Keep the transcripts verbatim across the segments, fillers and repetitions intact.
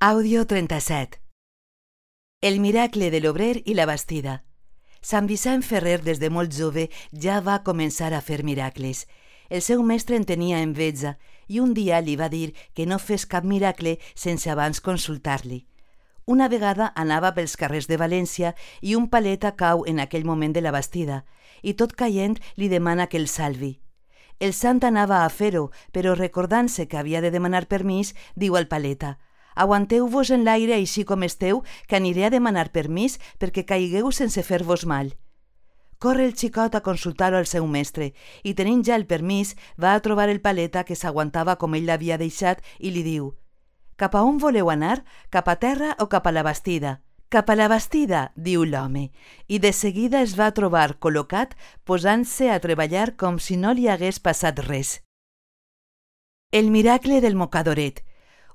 Àudio trenta-set. El miracle de l'obrer i la bastida. Sant Vicent Ferrer des de molt jove ja va començar a fer miracles. El seu mestre en tenia enveja i un dia li va dir que no fes cap miracle sense abans consultar-li. Una vegada anava pels carrers de València i un paleta cau en aquell moment de la bastida i tot caient li demana que el salvi. El sant anava a fer-ho, però recordant-se que havia de demanar permís, diu al paleta: «Aguanteu-vos en l'aire així com esteu, que aniré a demanar permís perquè caigueu sense fer-vos mal». Corre el xicot a consultar-ho al seu mestre i, tenint ja el permís, va a trobar el paleta que s'aguantava com ell l'havia deixat i li diu: «Cap a on voleu anar? Cap a terra o cap a la bastida?» «Cap a la bastida», diu l'home, i de seguida es va trobar col·locat posant-se a treballar com si no li hagués passat res. El miracle del mocadoret.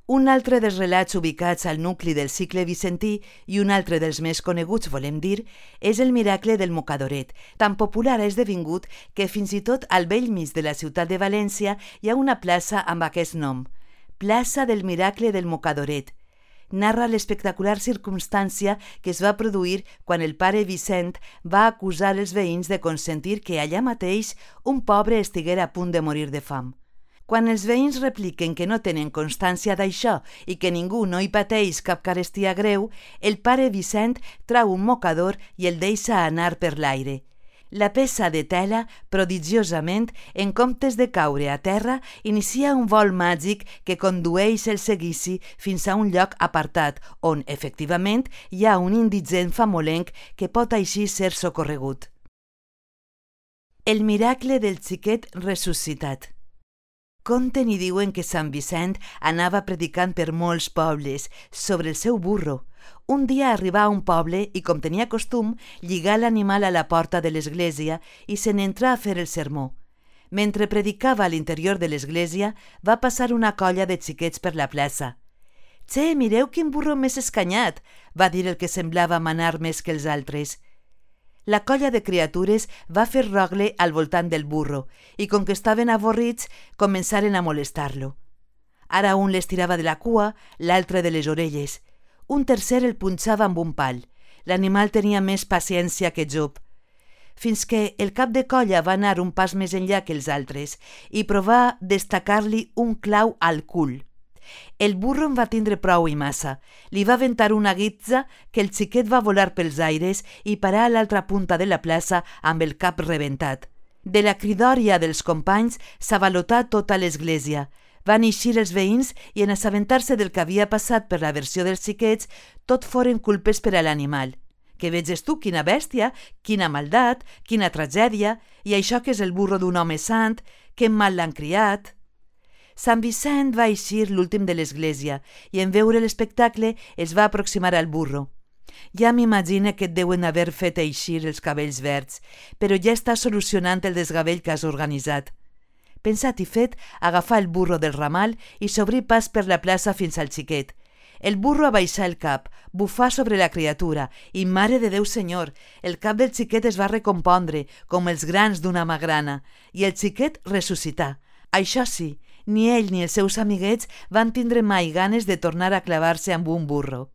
Un altre dels relats ubicats al nucli del cicle vicentí i un altre dels més coneguts, volem dir, és el miracle del mocadoret. Tan popular ha esdevingut que fins i tot al bell mig de la ciutat de València hi ha una plaça amb aquest nom, Plaça del Miracle del Mocadoret. Narra l'espectacular circumstància que es va produir quan el pare Vicent va acusar els veïns de consentir que allà mateix un pobre estiguera a punt de morir de fam. Quan els veïns repliquen que no tenen constància d'això i que ningú no hi pateix cap carestia greu, el pare Vicent trau un mocador i el deixa anar per l'aire. La peça de tela, prodigiosament, en comptes de caure a terra, inicia un vol màgic que condueix el seguici fins a un lloc apartat on, efectivament, hi ha un indigent famolenc que pot així ser socorregut. El miracle del xiquet ressuscitat. Conten i diuen que Sant Vicent anava predicant per molts pobles sobre el seu burro. Un dia arribà a un poble i, com tenia costum, lligà l'animal a la porta de l'església i se n'entrà a fer el sermó. Mentre predicava a l'interior de l'església, va passar una colla de xiquets per la plaça. «Che, mireu quin burro més escanyat!», va dir el que semblava manar més que els altres. La colla de criatures va fer rogle al voltant del burro i, com que estaven avorrits, començaren a molestar-lo. Ara un l'estirava de la cua, l'altre de les orelles. Un tercer el punxava amb un pal. L'animal tenia més paciència que Job. Fins que el cap de colla va anar un pas més enllà que els altres i provà d'estacar-li un clau al cul. El burro en va tindre prou i massa. Li va aventar una guitza que el xiquet va volar pels aires i parar a l'altra punta de la plaça amb el cap rebentat. De la cridòria dels companys s'avalotà tota l'església. Van eixir els veïns i, en assabentar-se del que havia passat per la versió dels xiquets, tot foren culpes per a l'animal. Que veges tu quina bèstia, quina maldat, quina tragèdia, i això que és el burro d'un home sant, que mal l'han criat. Sant Vicent va eixir l'últim de l'església i, en veure l'espectacle, es va aproximar al burro. Ja m'imagine que et deuen haver fet eixir els cabells verds, però ja està solucionant el desgavell que has organitzat. Pensat i fet, agafar el burro del ramal i s'obrir pas per la plaça fins al xiquet. El burro abaixà el cap, bufà sobre la criatura i, mare de Déu senyor, el cap del xiquet es va recompondre com els grans d'una magrana i el xiquet ressuscità. Això sí, ni ell ni els seus amiguets van tindre mai ganes de tornar a clavar-se amb un burro.